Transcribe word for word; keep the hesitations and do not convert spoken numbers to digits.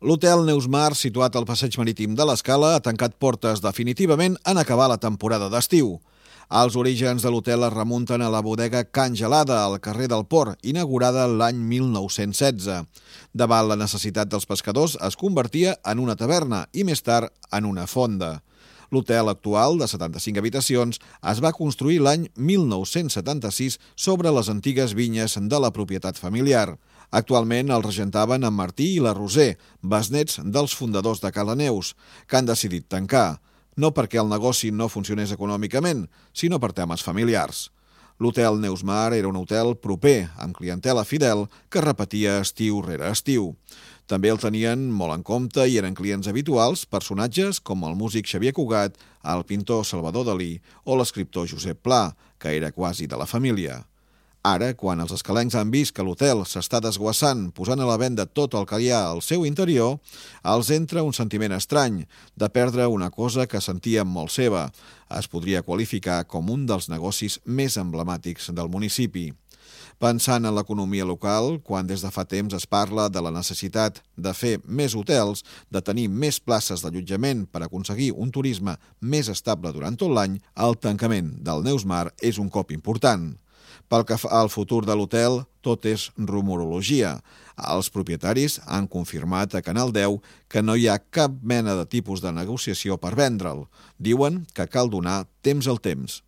L'hotel Neusmar, situat al passeig marítim de l'Escala, ha tancat portes definitivament en acabar la temporada d'estiu. Els orígens de l'hotel es remunten a la bodega Can Gelada, al carrer del Port, inaugurada l'any mil nou-cents setze. Davant la necessitat dels pescadors, es convertia en una taverna i més tard en una fonda. L'hotel actual, de setanta-cinc habitacions, es va construir l'any mil nou-cents setanta-sis sobre les antigues vinyes de la propietat familiar. Actualment el regentaven en Martí i la Roser, besnets dels fundadors de Cala Neus, que han decidit tancar, no perquè el negoci no funcionés econòmicament, sinó per temes familiars. L'hotel Neusmar era un hotel proper, amb clientela fidel, que repetia estiu rere estiu. També el tenien molt en compte i eren clients habituals personatges com el músic Xavier Cugat, el pintor Salvador Dalí o l'escriptor Josep Pla, que era quasi de la família. Ara, quan els escalencs han vist que l'hotel s'està desguassant posant a la venda tot el que hi ha al seu interior, els entra un sentiment estrany de perdre una cosa que sentien molt seva. Es podria qualificar com un dels negocis més emblemàtics del municipi. Pensant en l'economia local, quan des de fa temps es parla de la necessitat de fer més hotels, de tenir més places d'allotjament per aconseguir un turisme més estable durant tot l'any, el tancament del Neusmar és un cop important. Pel que fa al futur de l'hotel, tot és rumorologia. Els propietaris han confirmat a Canal deu que no hi ha cap mena de tipus de negociació per vendre'l. Diuen que cal donar temps al temps.